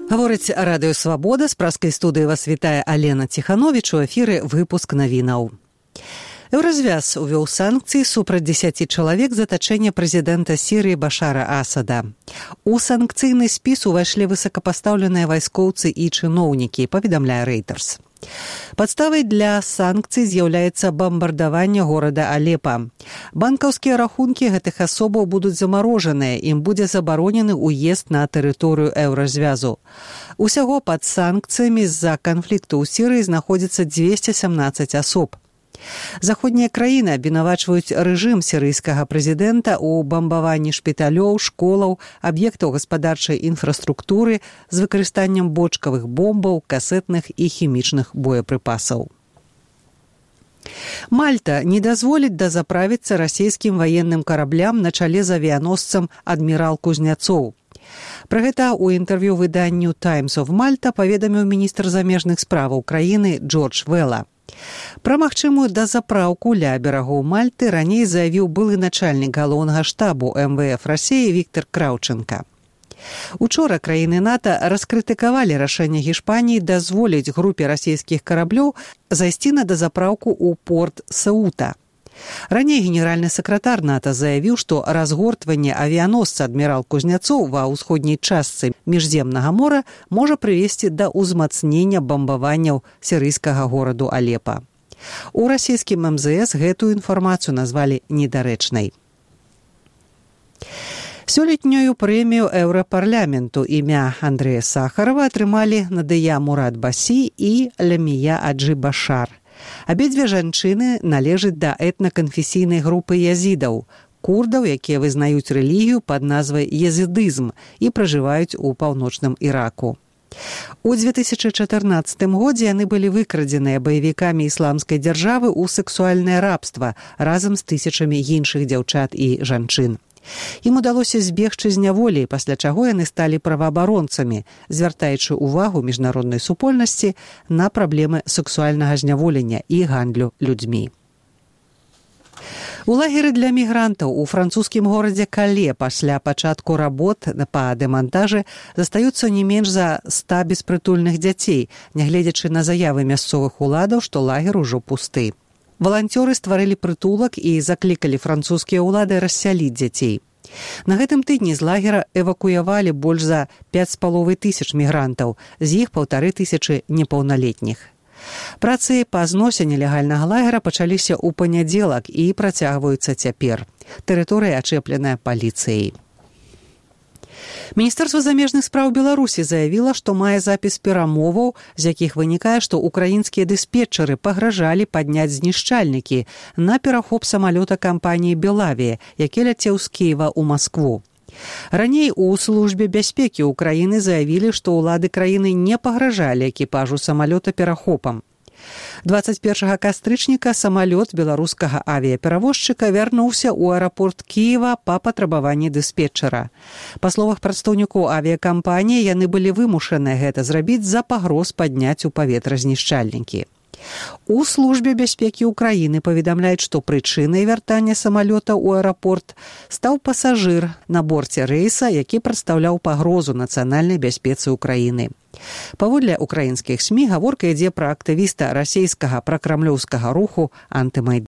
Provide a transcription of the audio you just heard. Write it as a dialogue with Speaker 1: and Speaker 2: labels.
Speaker 1: Гаворыць радыё «Свабода», з праскай студыі вас вітае Алена Ціхановіч, у эфіры выпуск навінаў. Еўразвяз увёў санкцыі супраць 10 чалавек за атачэнне прэзідэнта Сірыі Башара Асада. У санкцыйны спіс увайшлі высокапастаўленыя вайскоўцы і чыноўнікі, паведамляе Reuters. Падставай для санкцый з'яўляецца бамбардаванне горада Алепа. Банкаўскія рахункі гэтых асобаў будуць замарожаныя, ім будзе забаронены ўезд на тэрыторыю Еўразвязу. Усяго пад санкцыямі з-за канфлікту ў Сірыі знаходзіцца 217 асоб. Заходнія краіны абвінавачваюць рэжым сірыйскага прэзідэнта ў бамбаванні шпіталёў, школаў, аб'ектаў гаспадарчай інфраструктуры з выкарыстаннем бочкавых бомбаў, касетных і хімічных боепрыпасаў. Мальта не дазволіць дазаправіцца расійскім ваенным караблям на чале з авіяносцам адмірал Кузняцоў. Пра гэта ў інтэрв'ю выданню «Times of Malta» паведаміў міністр замежных справаў краіны Джордж Вэлла. Пра магчымую дазапраўку ля берагоў Мальты раней заявіў былы начальнік галоўнага штабу МВФ Расіі Віктор Краўченка. Учора краіны НАТО раскрытыкавалі рашэнне Гішпаніі дазволіць групе расійскіх караблёў зайсці на дазапраўку ў порт Сеута. Раней генеральны сакратар НАТО заявіў, што разгортванне авіяносца адмірал Кузняцоў ва ўсходняй частцы міжземнага мора можа прывесці да ўзмацнення бамбаванняў сірыйскага гораду Алепа. У расійскім МЗС гэтую інфармацыю назвалі недарэчнай. Сёлетнюю прэмію Еўрапарламенту імя Андрэя Сахарова атрымалі Надыя Мурад Басі і Лямія Аджи Башар. Абедзве жанчыны належаць да этнаканфесійнай групы язідаў, курдаў, якія вызнаюць рэлігію пад назвай язідызм і пражываюць у паўночным Іраку. У 2014 годзе яны былі выкрадзеныя баевікамі ісламскай дзяржавы ў сэксуальнае рабства разам з тысячамі іншых дзяўчат і жанчын. Ім удалося збегчы з няволі, пасля чаго яны сталі праваабаронцамі, звяртаючы ўвагу міжнароднай супольнасці на праблемы сэксуальнага зняволення і гандлю людзьмі. У лагеры для мігрантаў у французскім горадзе Кале пасля пачатку работ па дэмантажы застаюцца не менш за 100 беспрытульных дзяцей, нягледзячы на заявы мясцовых уладаў, што лагер ужо пусты. Валанцёры стварылі прытулак і заклікалі французскія ўлады рассяліць дзяцей. На гэтым тыдні з лагера эвакуявалі больш за 5500 мігрантаў, з іх 1500 непаўналетніх. Працы па зносе нелегальнага лагера пачаліся ў панядзелак і працягваюцца цяпер. Тэрыторыя ачэпленая паліцыяй. Міністэрства замежных спраў Беларусі заявіла, што мае запіс перамоваў, з якіх вынікае, што украінскія дыспетчары пагражалі падняць знішчальнікі на перахоп самалёта кампаніі «Белавія», які ляцеў з Кіева ў Маскву. Раней у службе бяспекі Украіны заявілі, што ўлады краіны не пагражалі экіпажу самалёта перахопам. 21 кастрычніка самалёт беларускага авіяперавозчыка вярнуўся ў аэрапорт Кіева па патрабаванні дыспетчара. Па словах прадстаўнікоў авіякампаніі, яны былі вымушаныя гэта зрабіць з-за пагроз падняць у паветра знішчальнікі. У службе бяспекі Украіны паведамляюць, што прычынай вяртання самалёта ў аэрапорт стаў пасажыр на борце рэйса, які прадстаўляў пагрозу нацыянальнай бяспецы Украіны. Паводле украінскіх СМІ гаворка ідзе пра актывіста расійскага пракрамлёўскага руху «Антымайдан».